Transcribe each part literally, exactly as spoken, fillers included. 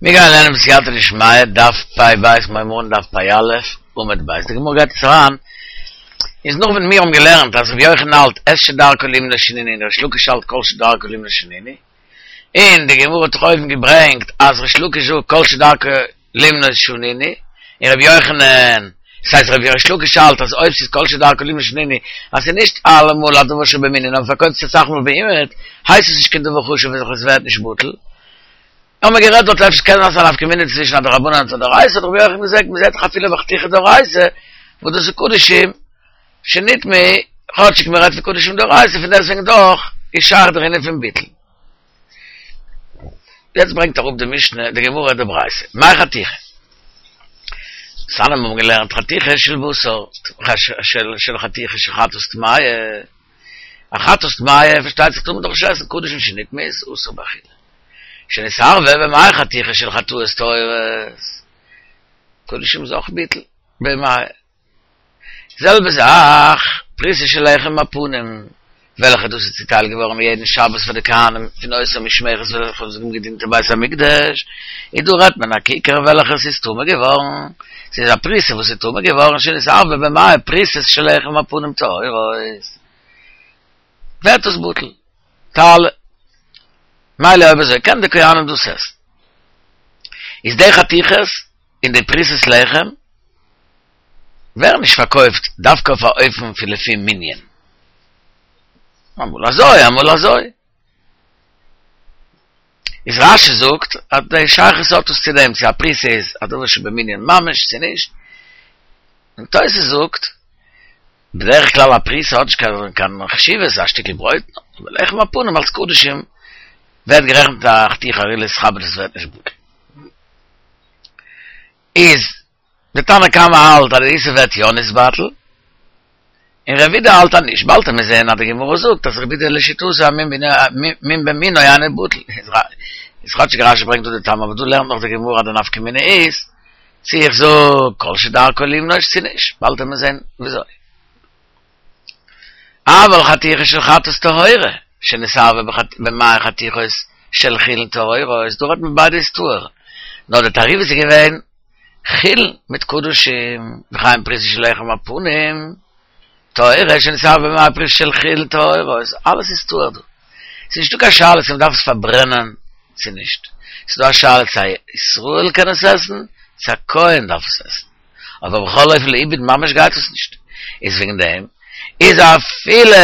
מיר גייען לערנען בסייעתא דשמיא, דף פ ב', מיר הייבן אן דף פ א', עמוד ב'. די גמרא גייט יעצט אריין, איז נאך ווען מיר האבן געלערנט אז רבי יוחנן האלט את שדרכו לימנות שנינו און ריש לקיש האלט כל שדרכו לימנות שנינו, און די גמרא האט דאך אויבן געברענגט אז ריש לקיש זאגט כל שדרכו לימנות שנינו, און רבי יוחנן, ס'הייסט רבי ריש לקיש האלט אז אויב ס'איז כל שדרכו לימנות שנינו, אז ס'איז נישט אלעמאל א דבר שבמנין נאר מ'פארקויפט עס אסאך מאל בעומד, הייסט עס נישט קיין דבר חשוב און עס ווערט נישט בטל. האבן מיר גערעדט דארט אפשר קען זיין ס'איז א נפקא מינה צווישן א דרבנן און א דאורייתא, האט רבי יוחנן געזאגט מ'זעט דאך אפילו ביי חתיכה דאורייתא וואס דאס איז קדשים שנטמאו, כאטשיג מ'רעדט פון קדשים דאורייתא פון דעסטוועגן דאך איז שייך דער ענין פון ביטול. יעצט ברענגט אראפ די משנה די גמרא די ברייתא, מאי חתיכה? דתניא מיר האבן געלערנט חתיכה של בשר, של חתיכה של חטאת טמאה, א חטאת טמאה פארשטייט זיך טאר מען דאך נישט עסן קדשים שנטמאו איז אסור באכילה. שנתערבה במעי חתיכה של חטאות טהורות, קדשים איז אויך ביטול במעי. זעלבע זאך פרוסה של לחם הפנים, וועלכע דאס איז צוטיילט געווארן יעדן שבת פאר די כהנים פון אותה משמרת וועלכע האבן געדינט אין בית המקדש, איז דא רעדט מען א כיכר וועלכע ס'איז טמא געווארן, ס'איז א פרוסה וואס איז טמא געווארן שנתערבה במעי פרוסות של לחם הפנים טהורות, ווערט עס בטל. תעלה. מילא אויב אזוי קען די כהנים דאס עסן. איז די חתיכות און די פרוסות לחם ווערן נישט פארקויפט דווקא אויף א אופן פון לפי מנין. אמאל אזוי אמאל אזוי. איז רשי זאגט אז די שייכות האט עס צו דעם צו א פרוסה איז א דבר שבמנין ממש צו נישט. און תוס' זאגט בדרך כלל א פרוסה האט נישט קיין חשיבות, א שטיקל ברויט, אבער לחם הפנים אלס קדשים ווערט גערעכנט א חתיכה הראויה להתכבד עס ווערט נישט בטל. איז די תנא קמא האלט אז די איסור ווערט יא נתבטל, און רבי יהודה האלט אז נישט, באלד וועט מען זעהן אז די גמרא זאגט אז רבי יהודה לשיטתו אז מין במינו אינו בטל, איז כאטשיג רשי ברענגט דא די טעם אבער דא לערנט נאך די גמרא אז די נפקא מינה איז צו איך זאג כל שדרכו לימנות צו נישט, באלד וועט מען זען וויאזוי. אבל חתיכה של חטאת טהורה, שנתערבה במעי חתיכות של חולין טהורות, דא רעדט מען ביידע איז טהור, נאר די תערובת איז געווען חולין מיט קדשים, וכן פרוסה של לחם הפנים, טהורה שנתערבה במעי פרוסה של חולין טהורות, אלעס איז טהור דא. ס'איז נישטא קיין שאלה צו מ'דארף עס פארברענען צו נישט. ס'איז דא א שאלה צו א ישראל קען עס עסן, צו א כהן דארף עס עסן. אבער בכל אופן לאיבוד ממש גייט עס נישט. איז וועגן דעם איז אפילו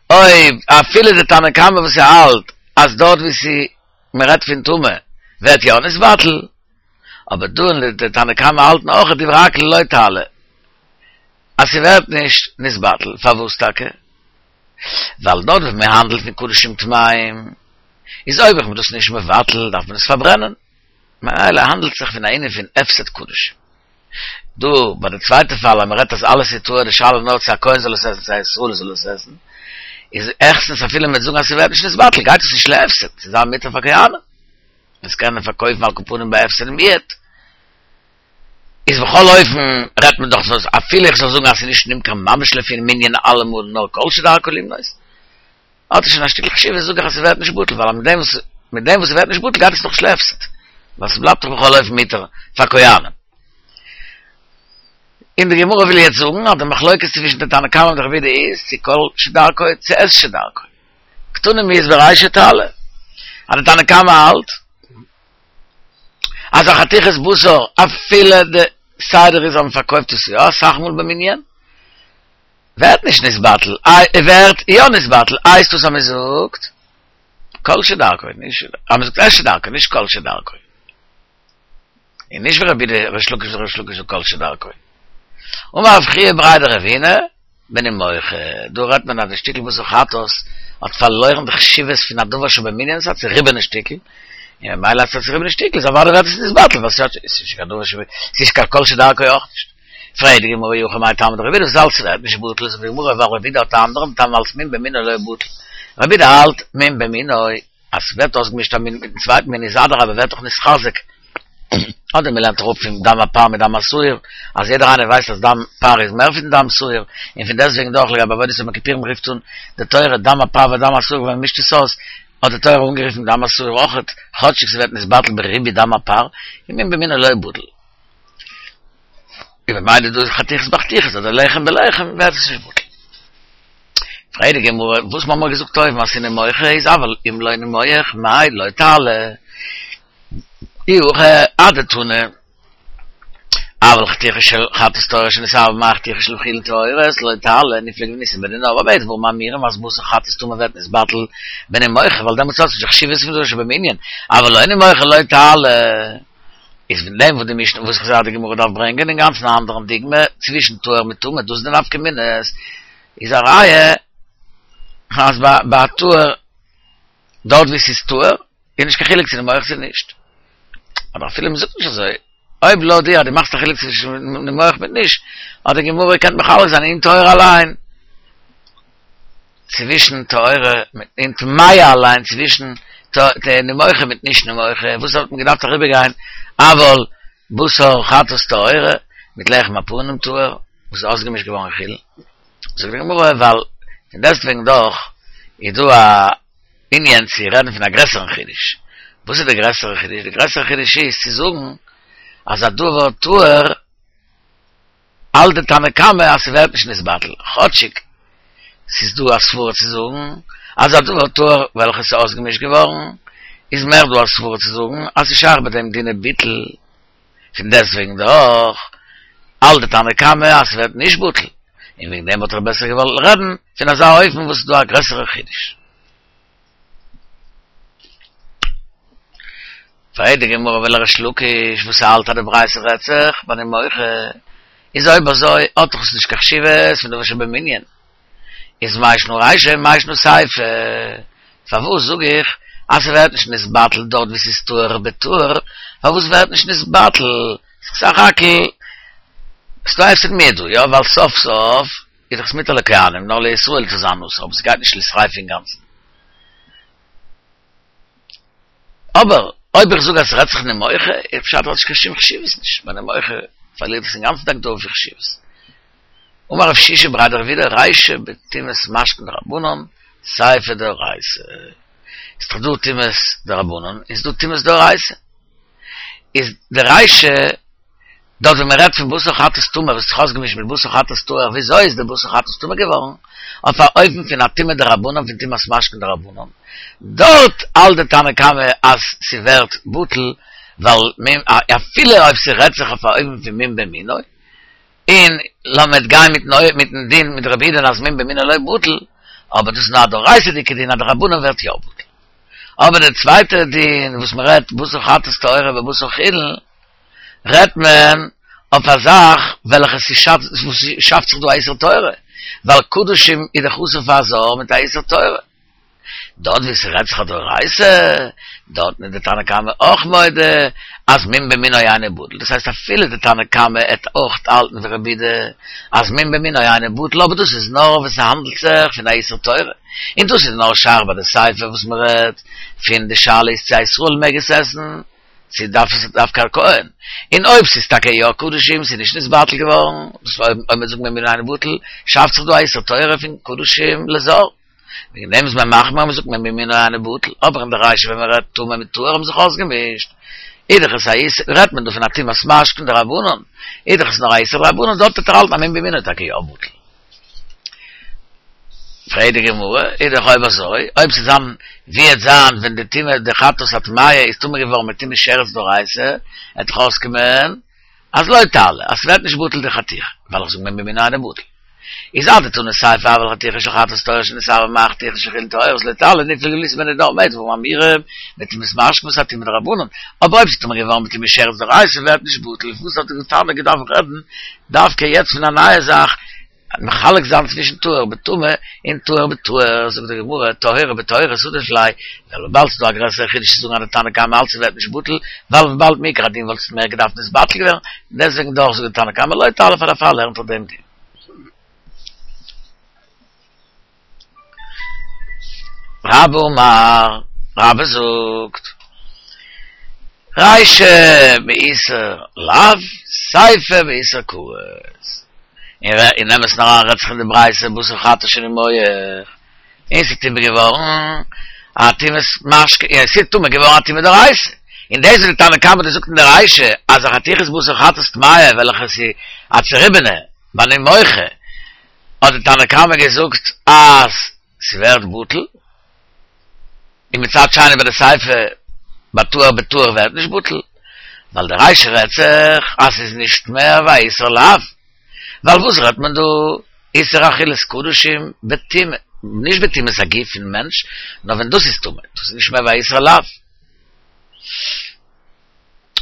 אויב אפילו די תנא קמא וואס ס'האלט אז דארט ווי ס'איז מ'רעדט פון טומאה ווערט יא נתבטל, אבער דא אין די תנא קמא האלטן אויך דברי הכל לא תעלה. אז ס'ווערט נישט נתבטל, פארוואס טאקע? ווייל דארט וואו מ'האנדלט פון קדשים טמאים, איז אויב איך בין דאס נישט מבטל דארף מען עס פארברענען, ממילא האנדלט זיך פון א ענין פון הפסד קדשים. דא ביי די צווייטע פאל אז מ'רעדט אז אלעס איז טהור די שאלה נאר צו א כהן זאל עס עסן צו א ישראל זאל עס עסן, איז העכסטנס אפילו מ'וועט זאגן אז ס'ווערט נישט נתבטל גייט עס נישט להפסד, ס'איז זיין מותר פאר כהנים עס קענען פארקויפן על כל פנים בהפסד מועט. איז בכל אופן רעדט מען דאך אז אפילו איך זאל זאגן אז ס'איז נישט נמכר ממש לפי מנין אלעמאל נאר כל שדרכו לימנות, האט עס שוין א שטיקל חשיבות זאג איך אז ס'ווערט נישט בטל ווייל מיט דעם וואס מיט דעם וואס ס'ווערט נישט בטל גייט עס דאך נישט להפסד ווייל ס'בלייבט דאך בכל אופן מותר פאר כהנים. און די גמרא וויל יעצט זאגן אז די מחלוקת צווישן די תנא קמא און די רבי יהודה איז צו כל שדרכו צו את שדרכו. קתני מיהת ברישא תעלה אז די תנא קמא האלט אז א חתיכת בשר אפילו די סדר איז אז מען פארקויפט עס יא אסאך מאל במנין ווערט נישט נתבטל ווערט יא נתבטל הייסט דאס אז מען זאגט כל שדרכו נישט אז מען זאגט את שדרכו נישט כל שדרכו און נישט ווי רבי יהודה ריש לקיש ריש לקיש זאגט כל שדרכו אמר רב חייא בריה דרבינא בנימוחה, דא רעדט מען אז די שטיקל בשר חטאת האט פארלוירן די חשיבות פון א דבר שבמנין, ס'איז א צוריבענע שטיקל, און ממילא אז ס'איז א צוריבענע שטיקל איז אוודאי ווערט עס נתבטל, ווייל ס'איז נישט קיין דבר שבמנין, ס'איז נישט קיין כל שדרכו אויך נישט. פרעגט די גמרא אי הכי מאי טעמא דרבי יהודה וואס האלטסטו ס'ווערט נישט בטל, זאגט די גמרא ווייל רבי יהודה האט א אנדערן טעם אלץ מין במינו לא בטל, רבי יהודה האלט מין במינו, אז ס'ווערט אויסגעמישט א מין מיטן צווייטן מין איז אדרבה ווערט דאך נתחזק, אדער מ'לערנט אראפ פון דם הפר מיט דם השעיר, אז יעדער איינער ווייסט אז דם פר איז מער פון דם שעיר, און פון דעסטוועגן דאך לגבי עבודת יום הכיפורים רופט אן די תורה דם הפר ודם השעיר ווען מ'מישט עס אויס, האט די תורה אנגערופן דם השעיר אויכעט, כאטשיג ס'ווערט נתבטל בריבוי דם הפר, און מום במינו לא בטל. און ממילא דא איז חתיכות בחתיכות אדער לחם בלחם ווערט עס נישט בטל. פרעגט די גמרא, וואס מ'האמער געזאגט אויבן אז ס'נימוח איז אבל אם לא נימוח מאי לא תעלה אי הכי אדתני אבל חתיכה של חטאת טהורה שנתערבה במעה חתיכה של חולין טהורות לא תעלה ניפלוג וניתני בדינה במה דברים אמורים אז בתר חטאת טמא ווערט נתבטל בנימוחה ווייל דעמאלטס האט עס נישט די חשיבות פון דבר שבמנין אבל לא נימוחה לא תעלה איז פון דעם וואס די משנה וואס איך זעה אז די גמרא דארף ברענגען אינגאנצן א אנדערן דוגמא צווישן טהור מיט טמא דאס איז די נפקא מינה איז א ראיה אז ביי טהור דארט ווי ס'איז טהור איז נישט קיין חילוק צו נימוח צו נישט אבער אפילו מ'זאגט נישט אזוי אויב לויט דיר אז דו מאכסט א חילוק צווישן נימוח מיט נישט האט די גמרא געקענט מחלק זיין אין טהור אליין צווישן טהורה אין טמאה אליין צווישן נימוחה מיט נישט נימוחה וואס האט מען געדארפט אריבערגיין אבל בתר חטאת טהורה מיט לחם הפנים טהור וואס איז אויסגעמישט געווארן חולין זאגט די גמרא ווייל פון דעסטוועגן דאך איז דא א ענין צו רעדן פון א גרעסערן חידוש וואס איז די גרעסערע חידוש? די גרעסערע חידוש איז צו זאגן אז א דבר טהור האלט די תנא קמא אז ס'ווערט נישט נתבטל, כאטשיג ס'איז דא א סברה צו זאגן אז א דבר טהור וועלכע ס'איז אויסגעמישט געווארן, איז מער דא א סברה צו זאגן אז ס'איז שייך ביי דעם דיני ביטול, פון דעסטוועגן דאך האלט די תנא קמא אז ס'ווערט נישט בטל, און וועגן דעם וואלט איך בעסער געוואלט רעדן פון אזא אופן וואס איז דא א גרעסערע חידוש. פרעגט די גמרא ולריש לקיש וואס האלט אז די ברייתא רעדט זיך ביי נימוחה, איז אויב אזוי האט דאך עס נישט קיין חשיבות פון דבר שבמנין, איז מאי שנא רישא מאי שנא סיפא, פארוואס זאג איך אז ס'ווערט נישט נתבטל דארט וואו ס'איז טהור בטהור, פארוואס ווערט נישט נתבטל, סך הכל ס'דא א הפסד מועט דא, יא ווייל סוף סוף איז דאך עס מותר לכהנים נאר לישראל צו זיין אסור אבער ס'גייט נישט לשריפה אינגאנצן. אבער אויב איך זאג אז ס'רעדט זיך נימוחה, איז פשט האט נישט קיין שום חשיבות נישט, ביי נימוחה פארלירט עס אינגאנצן די הגדרה פון חשיבות. אמר רב שישא בריה דרב אידי רישא בטומאת משקין דרבנן, סיפא דאורייתא. איז דאך דא טומאת דרבנן, איז דא טומאת דאורייתא. איז די רישא דארט ווען מען רעדט פון בתר חטאת טמא וואס האט זיך אויסגעמישט מיט בתר חטאת טהור וויאזוי איז די בתר חטאת טמא געווארן אויף א אופן פון א טומאה דרבנן פון טומאת משקין דרבנן דארט האלט די תנא קמא אז ס'ווערט בטל ווייל אפילו אויב ס'רעדט זיך אויף א אופן פון מום במינו און לאמיר גיין מיטן דין מיט רבי יהודה'ן אז מום במינו לא בטל אבער דאס איז נאר א דאורייתא'דיגע דין א דרבנן ווערט יא בטל אבער די צווייטע דין וואס מ'רעדט בתר חטאת טהורה בבשר חולין רעדט מען אויף א זאך וועלכע ס'שאפט זיך דא א איסור תורה, ווייל קדשים איז דאך אסור פאר א זר מיט א איסור תורה. דארט וואו ס'רעדט זיך א דאורייתא, דארטן איז די תנא קמא אויך מודה אז מום במינו אינו בטל, דאס הייסט אפילו די תנא קמא עט אויך האלטן ווי רבי יהודה אז מום במינו אינו בטל, אבער דאס איז נאר ווען ס'האנדלט זיך פון א איסור תורה, און דאס איז נאר שייך ביי די סיפא וואס מ'רעדט פון די שאלה איז צו א ישראל מעג עס עסן, צו דארף עס דווקא א כהן? און אויב ס'איז טאקע יא קדשים, ס'איז נישט נתבטל געווארן, דאס אויב מ'וועט זאגן מום במינו אינו בטל, שאפט זיך דא א איסור תורה פון קדשים לזר. וועגן דעם איז מען מחמיר אז מ'זאגט מום במינו אינו בטל, אבער אין די רישא ווען מ'רעדט טמא מיט טהור האבן זיך אויסגעמישט, איז דאך עס א איסור, רעדט מען דא פון א טומאת משקין דרבנן, איז דאך עס נאר א איסור דרבנן, דארט וועט ער האלטן אז מום במינו איז טאקע יא בטל. פרעגט די גמרא, איז דאך אויב אזוי, אויב ס'איז זיין, ווי עט זיין ווען די טומאה, די חטאת הטמאה איז טמא געווארן מיט טומאת שרץ דאורייתא, עט דאך אויסקומען אז לא תעלה, אז ס'ווערט נישט בטל די חתיכה, ווייל איך זאג מום במינו אינו בטל. איז אדתני סיפא אבל חתיכה של חטאת טהורה שנתערבה במעה חתיכה של חולין טהורות לא תעלה ניפלוג וליתני בנידון במה דברים אמורים, בטומאת משקין וואס איז א טומאה דרבנן, אבער אויב ס'איז טמא געווארן מיט טומאת שרץ דאורייתא ווערט נישט בטל, וואס האט די תנא געדארפט רעדן דווקא יעצט פון א נייע זאך, מחלק זיין צווישן טהור בטמא און טהור בטהור, זאגט די גמרא, טהורה בטהורות עדיף ליה, ווייל וויבאלד ס'איז דא א גרעסערע חידוש צו זאגן אז די תנא קמא האלט ס'ווערט נישט בטל, ווייל וויבאלד מעיקר הדין וואלט עס מער געדארפט נתבטל געווערן, דעסוועגן דאך זאגט די תנא קמא לא תעלה פאר דערפאר לערנט ער דעם דין. רבה אמר, רבה זאגט, רישא באיסור לאו, סיפא באיסור כרת. אין אמת'ן אריין רעדט זיך אין די ברייתא בתר חטאת שנימוח, און ס'איז טמא געווארן א טומאת משקה, יא, ס'איז טמא געווארן א טומאה דאורייתא. און דאס וואס די תנא קמא האט געזאגט אין דער רישא אז א חתיכת בשר חטאת טמאה וועלכע ס'איז א צעריבענע ואני מוחה, האט די תנא קמא געזאגט אז ס'ווערט בטל, און מצד שני ביי די סיפא ביי טהור בטהור ווערט נישט בטל, ווייל די רישא רעדט זיך אז ס'איז נישט מער ווי א איסור לאו. ווייל וואס רעדט מען דא? איסור אכילת קדשים בטומאה, נישט בטומאת הגוף פון מענטש, נאר ווען דאס איז טמא, דאס איז נישט מער ווי א איסור לאו.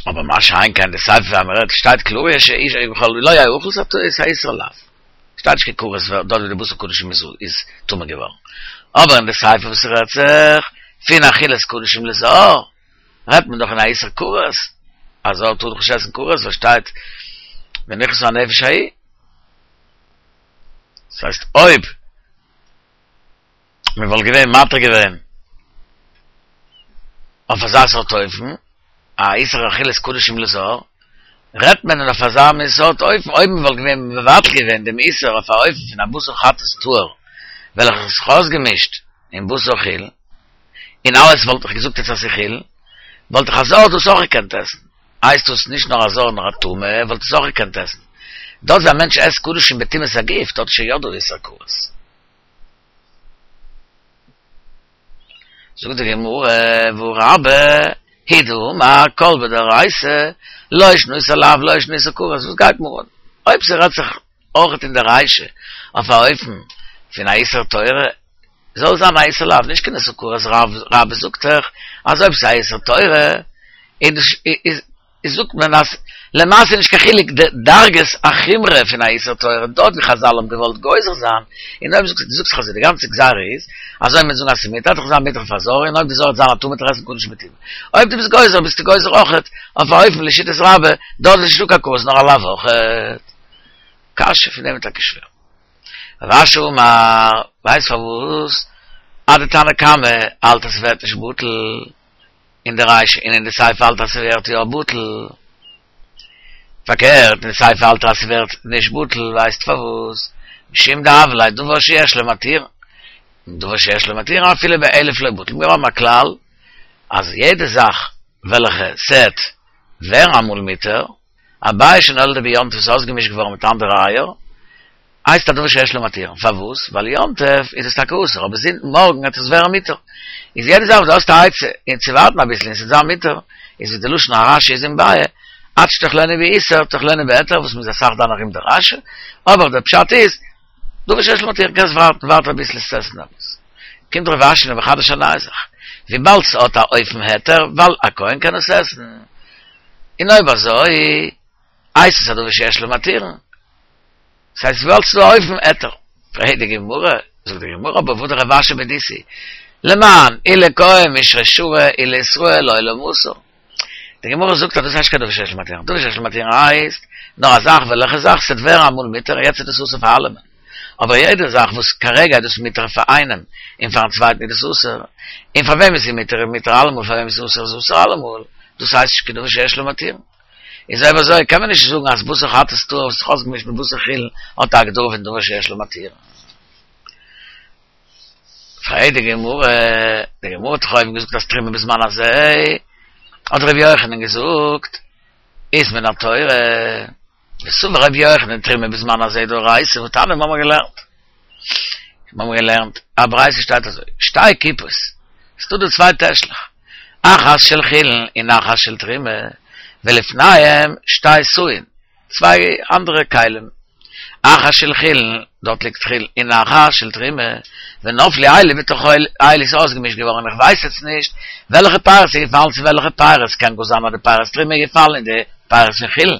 אבער מה שאין כן די סיפא ווען מ'רעדט שטייט קלאר יש איש בכל לא יאכל ס'איז א איסור לאו. שטייט נישט קיין כרת דארט ווי די בשר קדשים איז איז טמא געווארן. אבער אין די סיפא וואס רעדט זיך פון אכילת קדשים לזר, רעדט מען דאך אין א איסור כרת, א זר טאר דאך נישט עסן כרת ווייל שטייט ונכרתה הנפש ההיא. דאס הייסט אויב מען וואלט געווען מתיר געווען אויף אזא סארט אופן, א איסור אכילת קדשים לזר, רעדט מען אויף אזא מין סארט אופן, אויב מען וואלט געווען מבטל געווען דעם איסור אויף א אופן פון א בשר חטאת טהור וועלכע האט זיך אויסגעמישט אין בשר חולין, און אלעס וואלט איך געזאגט יעצט אז ס'איז חולין, וואלט איך א זר דאס אויך געקענט עסן. הייסט דאס נישט נאר א זר נאר א טמא וואלט עס אויך געקענט עסן. דארט ווי א מענטש עסט קדשים בטומאת הגוף דארט איז שוין יא דא איסור כרת. זאגט די גמרא והא רבה הוא דאמר כל בדאורייתא לא שנא איסור לאו לא שנא איסור כרת וואס גייט מיר אן אויב ס'רעדט זיך אויך אין די רישא אויף א אופן פון א איסור תורה זאל זיין א איסור לאו נישט קיין איסור כרת רבה זאגט דאך אז אויב ס'איז א איסור תורה איז איז זאגט מען אז למעשה איז נישט קיין חילוק די דרגת החומרא פון א איסור תורה דארט ווי חזל האבן געוואלט גוזר זיין, און אויב זאגסט דו זאגסט אז די גאנצע גזירה איז אז אויב מ'וועט זאגן אז ס'איז מותר וועט דאך זיין מותר פאר זר און אויב די זר וועט זיין א טמא וועט ער עסן קדשים בטומאה אויב דו ביסט גוזר ביסטו גוזר אויכעט אויף א אופן לשיטת רבה דארט איז נישטא קיין כרת נאר א לאו אויכעט. קשיא פון דעם איז טאקע שווער. רב אשי אמר, ווייסט פארוואס אז די תנא קמא האלט אז ס'ווערט נישט בטל? אין די רישא און אין די סיפא האלט אז ס'ווערט יא בטל. פארקערט, אין די סיפא האלט אז ס'ווערט נישט בטל, ווייסט פארוואס? משום דהוה ליה דבר שיש לו מתירין. דבר שיש לו מתירין אפילו באלף לא בטל. מיר האבן א כלל אז יעדע זאך וועלכע ס'עט ווערן אמאל מותר, א ביעא שנולדה ביום טוב איז אויסגעמישט געווארן מיט אנדערע אייער, הייסט א דבר שיש לו מתירין, פארוואס? ווייל יום טוב איז עס טאקע אסור, אבער זינט מארגן וועט עס ווערן מותר. איז יעדע זאך וואס דו האסט א עצה און צו ווארטן אביסל און ס'וועט זיין מותר, איז ווי די לשון הרשי איז אין ביעא, עד שתאכלנו באיסור תאכלנו בהיתר, וואס מ'איז אסאך דן ארום די רשי, אבער דער פשט איז, דבר שיש לו מתירין, קענסט ווארטן, ווארט אביסל עס צו עסן דעמאלטס. קומט רב אשי און מחדש א נייע זאך, וויבאלד ס'האט א אופן היתר, ווייל א כהן קען עס עסן, און אויב אזוי הייסט עס א דבר שיש לו מתירין, ס'הייסט וויבאלד ס'איז דא א אופן היתר. פרעגט די גמרא, זאגט די גמרא אבער והא דרב אשי בדיתהו, למאן אי לכהן מישרא שרי אי לישראל לעולם אסור. די גמרא זאגט אז דאס הייסט נישט קיין דבר שיש לו מתירין, דבר שיש לו מתירין הייסט נאר א זאך וועלכע זאך ס'וועט ווערן אמאל מותר און יעצט איז דאס אסור פאר אלעמען, אבער יעדע זאך וואס כרגע איז דאס מותר פאר איינעם און פארן צווייטן איז דאס אסור, און פאר וועם איז מותר איז מותר אלעמאל פאר וועם איז אסור איז אסור אלעמאל, דאס הייסט נישט קיין דבר שיש לו מתירין. איז אויב אזוי קען מען נישט זאגן אז בשר חטאת טהור וואס איז אויסגעמישט מיט בשר חולין האט א הגדרה פון דבר שיש לו מתירין. פרעגט די גמרא, די גמרא האט דאך אויבן געזאגט אז תרומה בזמן הזה, האט ר' יוחנן געזאגט, איז מן התורה, וסבר ר' יוחנן תרומה בזמן הזה דאורייתא, והתניא מיר האבן געלערנט, מיר האבן געלערנט א ברייתא שטייט אזוי, שתי קופות, ס'דא דא צוויי טעשלעך, אחת של חולין און אחת של תרומה, ולפניהם שתי סאין, צוויי אנדערע כלים, אחת של חולין, דארט ליגט חולין, און אחת של תרומה, ונפלו אלו בתוך אלו איז אויסגעמישט געווארן, איך ווייס יעצט נישט וועלכע פירות איז געפאלן צו וועלכע פירות, קען גאר זיין אז די פירות תרומה איז געפאלן אין די פירות פון חולין,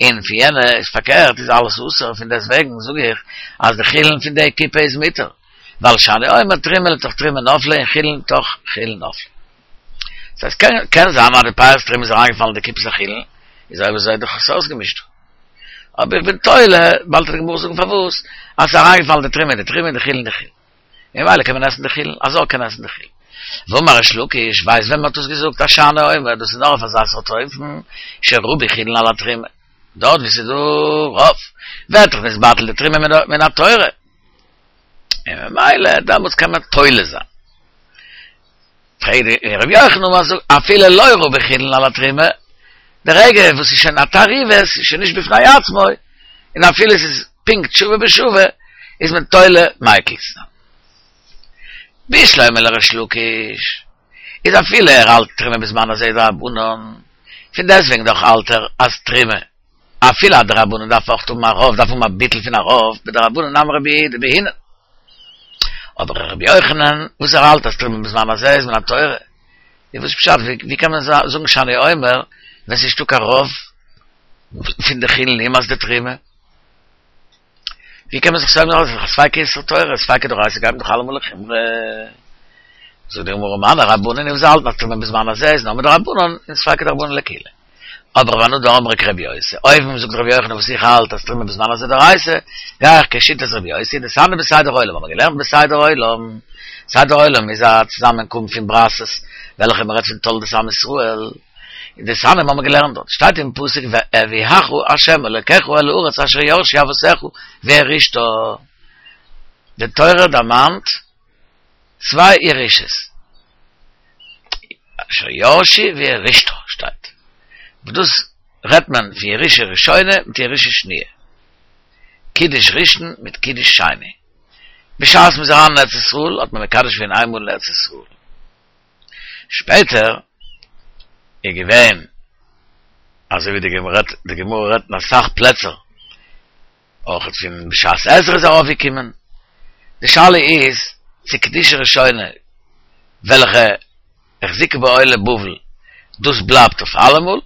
און פון יענע איז פארקערט איז אלעס אסור, פון דעסט וועגן זאג איך אז די חולין פון די קופה איז מותר, ווייל שאני אומר תרומה לתוך תרומה נפלה און חולין לתוך חולין נפלה. ס'הייסט קען קען זיין אז די פירות תרומה איז אריינגעפאלן אין די קופת החולין, איז אויב אזוי דאך עס אויסגעמישט. אבער איך בין תולה, באלד וועט די גמרא זאגן פארוואס, אז ס'איז אריינגעפאלן די תרומה אין די תרומה און די חולין אין די חולין. ממילא קען מען עסן די חולין, א זר קען עסן די חולין. ואמר ריש לקיש, ווייסט ווען מ'האט דאס געזאגט, אז שאני אומר, דאס איז נאר אויף אזא סארט אופן, שרבו חולין על התרומה. דארט וואו ס'איז דא רוב, ווערט דאך נתבטל די תרומה מן התורה. און ממילא דעמאלטס קען מען תולה זיין. פרעגט רבי יוחנן אז אפילו לא רבו חולין על התרומה, די רגע וואס איז שוין א תערובת, איז שוין נישט בפני עצמו, און אפילו עס איז פונקט שוה בשוה, איז מען תולה מיקל צו זיין. בשלמא לריש לקיש, איז אפילו ער האלט תרומה בזמן הזה דרבנן, פון דעסטוועגן דאך האלט ער אז תרומה, אפילו א דרבנן דארף אויך האבן א רוב, דארף האבן א ביטול פון א רוב, בדרבנן נמי רבי יהודה בעינן. אבער רבי יוחנן, וואס ער האלט אז תרומה בזמן הזה איז מן התורה, איז וואס פשט, ווי קען מען זאגן שאני אומר, ווען ס'איז נישטא קיין רוב פון די חולין אימת די תרומה? ווי קען מען זיך סומך זיין אויף א ספיקא איסור תורה, ספיקא דאורייתא גייט מען דאך אלעמאל לחומרא. זאגט די גמרא מני רבנן וואס האלטן אז תרומה בזמן הזה איז נאר מדרבנן און ספיקא דרבנן לקולא. אבער ואנא דאמרי כרבי יוסי, אויב זאגט רבי יוחנן וואס איך האלט אז תרומה בזמן הזה דאורייתא, גיי איך כשיטת רבי יוסי, דתניא בסדר עולם, האבן מיר געלערנט בסדר עולם, סדר עולם איז א צוזאמענקום פון ברייתות וועלכע מען רעדט פון תולדות עם ישראל, און דתניא האבן מיר געלערנט דארט, שטייט אין פסוק והביאך ה' אלוקיך אל הארץ אשר ירשו אבותיך וירשתה. די תורה דערמאנט צוויי ירושות, אשר ירשו וירשתה שטייט, וואס דאס רעדט מען פון ירושה ראשונה מיט ירושה שניה, קידוש ראשון מיט קידוש שני. בשעת מ'איז אריין אין ארץ ישראל האט מען מקדש געווען איינמאל אין ארץ ישראל, שפעטער איז געווען אזוי ווי די גמרא רעדט, די גמרא רעדט אין אסאך פלעצער, אויך פון בשעת עזרא איז ארויפגעקומען, די שאלה איז צו קדושה ראשונה וועלכע החזיקה בה עולי בבל דאס בלייבט אויף אלעמאל,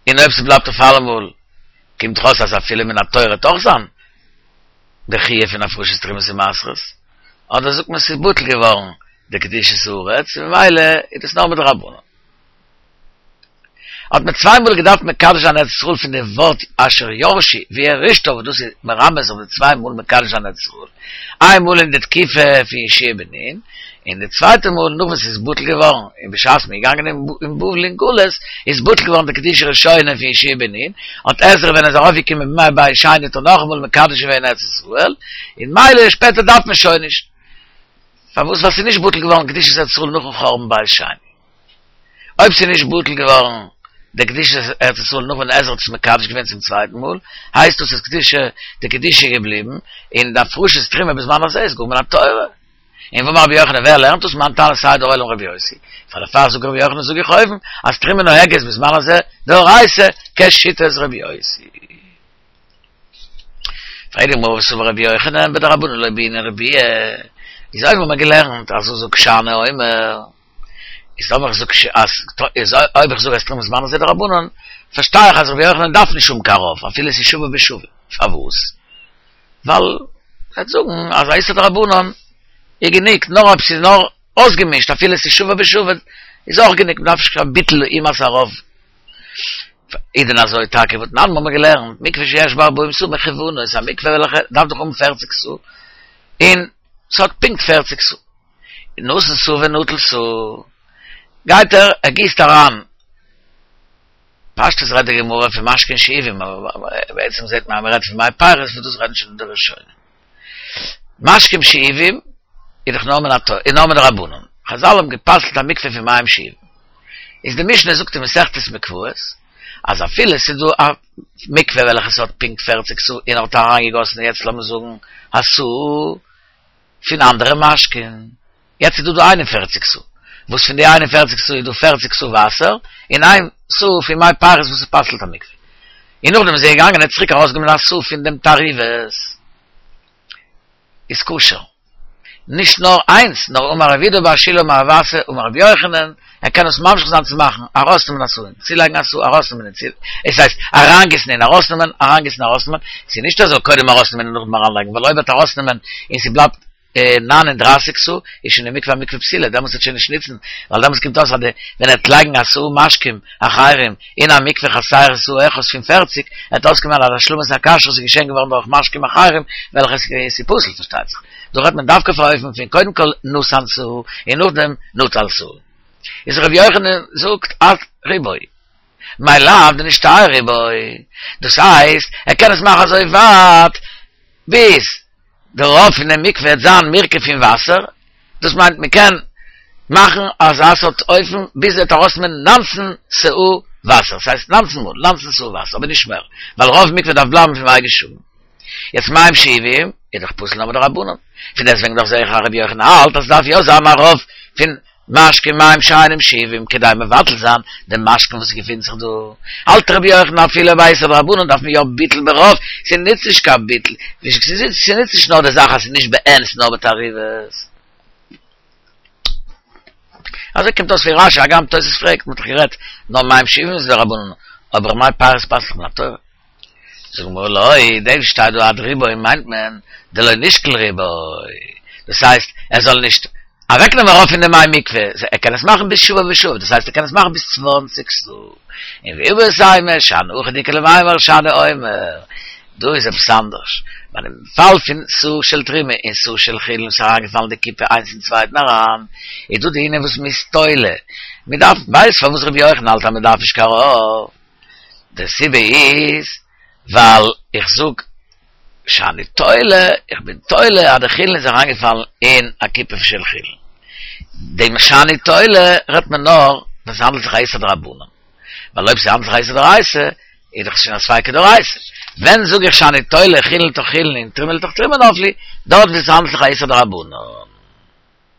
און אויב ס'בלייבט אויף אלעמאל קומט דאך אויס אז אפילו מן התורה וועט אויך זיין די חיוב פון הפרשת תרומות ומעשרות, אדער זאגט מען ס'איז בטל געווארן די קדושת הארץ און ממילא איז דאס נאר מדרבנן. האט מען צוויי מאל געדארפט מקדש זיין ארץ ישראל פון די ווארט אשר ירשו וירשתה וואס דאס איז מרמז אויף די צוויי מאל מקדש זיין ארץ ישראל, איין מאל אין די תקופה פון יהושע בן נון, און די צווייטע מאל נאך וואס ס'איז בטל געווארן, און בשעת מ'איז געגאנגען אין בבל אין גלות, איז בטל געווארן די קדושה ראשונה פון יהושע בן נון, האט עזרא ווען ער איז ארויפגעקומען בימי בית שני האט ער נאכאמאל מקדש געווען ארץ ישראל, און מילא שפעטער דארף מען שוין נישט. פארוואס? ווייל ס'איז נישט בטל געווארן קדושת ארץ ישראל נאכן חורבן בית שני. אויב ס'איז נישט בטל געווארן די קדושת ארץ ישראל נאך ווען עזרא האט עס מקדש געווען צום צווייטן מאל, הייסט דאס אז קדושה, די קדושה איז געבליבן, און די הפרשת תרומה בזמן הזה איז גאר מן התורה. און ואמר רבי יוחנן ווער לערנט דאס מאן תנא סדר עולם רבי יוסי, פאר דערפאר זאגט רבי יוחנן זאג איך אויבן אז תרומה נוהגת בזמן הזה דאורייתא כשיטת רבי יוסי. פרעגט די גמרא וסבר רבי יוחנן בדרבנן לא בעינן רבויי, איז אויבן האט מען געלערנט אז זאג שאני אומר, איז אויב איך זאג אז איז אויב איך זאג אז תרומה בזמן הזה דרבנן, פארשטיי איך אז רבי יוחנן דארף נישט האבן קיין רוב אפילו עס איז שווה בשווה, פארוואס? ווייל ער וועט זאגן אז א איסור דרבנן איז גענוג נאר אויב ס'איז נאר אויסגעמישט אפילו ס'איז שווה בשווה איז אויך גענוג מ'דארף נישט קיין ביטול אימת הרוב. איז דען אזוי טאקע והתנן האבן מיר געלערנט מקווה שיש בה ארבעים סאה מכוונות א מקווה וועלכע דארף דאך האבן פערציג סאה און ס'האט פונקט פערציג סאה נתן סאה ונטל סאה גייט ער ער גיסט אריין פשטות רעדט די גמרא פון משקין שאובים, אבער בעצם זעט מען אז מען רעדט פון מי פירות וואס דאס רעדן שוין די ראשונים. משקים שאובים איז דאך נאר מן התורה, איז נאר מדרבנן. חזל האבן גע'פסל'ט א מקווה פון מים שאובים. איז די משנה זאגט אין מסכת מקוואות אז אפילו עס איז דא א מקווה וועלכע ס'האט פונקט פֿערציק סאה און ער האט אריינגעגאסן יעצט לאמיר זאגן א סאה פון אנדערע משקין, יעצט איז דא דא איין און פֿערציק סאה, וואס פון די איין און פֿערציק סאה איז דא פֿערציק סאה וואסער, און איין סאה פון מי פירות וואס עס פסל'ט א מקווה. און נאכדעם איז ער געגאנגען און האט צוריק ארויסגענומען א סאה פון דעם תערובת. איז כשר. נישט נאר איינס, נאר אמר רב יהודה בר שילא אמר רב אסי אמר רבי יוחנן, ער קען עס ממשיך זיין צו מאכן, ארויסנעמען א סאה און צולייגן א סאה, ארויסנעמען און צו, עס הייסט, אריינגיסן און ארויסנעמען, אריינגיסן און ארויסנעמען, ס'איז נישט ער זאל קודם ארויסנעמען און נאכדעם אריינלייגן, ווייל אויב ער וועט ארויסנעמען און ס'בלייבט נײַן און דרײַסיק סאה איז שוין די מקווה א מקווה פסולה, דעמאלטס וועט שוין נישט ניצן, ווייל דעמאלטס קומט אויס אז די ווען ער וועט לייגן א סאה משקים אחרים אין א מקווה חסרה סאה אחת פון פֿערציק, וועט אויסקומען אז השלמת הכשרות איז געשען געווארן דורך משקים אחרים וועלכע עס איז פסול פארשטייט זיך. דא רעדט מען דווקא פון אופן פון קודם כל נתן סאה און נאכדעם נטל סאה. איז ר' יוחנן זאגט עד רובו. מאי לאו דנשתייר רובו. דאס הייסט ער קען עס מאכן אזוי ווייט ביז די רוב פון די מקווה וועט זיין מורכב פון וואסער, דאס מיינט מען קען מאכן אזא סארט אופן ביז ער וועט ארויסנעמען נײַנצן סאה וואסער, ס'הייסט נײַנצן מאל נײַנצן סאה וואסער, אבער נישט מער, ווייל רוב מקווה דארף בלייבן פון מי גשמים. יעצט מים שאובים איז דאך פסול נאר מדרבנן, פון דעסטוועגן דאך זעה איך אז רבי יוחנן האלט אז ס'דארף יא זיין א רוב פון משקה מים שאינם שאובים כדי מבטל זיין דעם משקה וואס געפינט זיך דא. האלט רבי יוחנן אפילו ביי איסור דרבנן דארף מען יא ביטול ברוב, ס'נוצט נישט קיין ביטול, ס'נוצט נישט נאר די זאך אז ס'איז נישט בעין ס'איז נאר בתערובת. אזוי קומט אויס פון רשי, הגם תוס' פרעגט, מ'האט דאך גערעדט נאר מים שאובים איז דרבנן, אבער מי פירות פסל'ט מן התורה. זאגט די גמרא לא, דאס שטייט דא עד רובו מיינט מען דלא נישקול רובו, דאס הייסט ער זאל נישט אוועקנעמען רוב פון די מי מקווה, ער קען עס מאכן ביז שוה ושוה, דאס הייסט ער קען עס מאכן ביז צוואַנציק סאה, און ואיבעית אימא שאני הכא דאיכא למימר שאני אומר, דא איז עפעס אנדערש, ביי דעם פאל פון סאה של תרומה און סאה של חולין וואס איז אריינגעפאלן די קופה איינס אין צווייטן אריין, איז דא די ענין וואס מ'איז תולה, מ'דארף, ווייסט פארוואס רבי יוחנן האלט אז מ'דארף נישט קיין רוב? די סיבה איז ווייל איך זאג שאני תולה, איך בין תולה אז די חולין איז אריינגעפאלן אין א קופה של חולין. דעם שאני תולה רעדט מען נאר ווען ס'האנדלט זיך א איסור דרבנן. ווייל אויב ס'האנדלט זיך א איסור דאורייתא, איז דאך שוין א ספיקא דאורייתא. ווען זאג איך שאני תולה חולין לתוך חולין און תרומה לתוך תרומה נפלו, דארט וואו ס'האנדלט זיך א איסור דרבנן.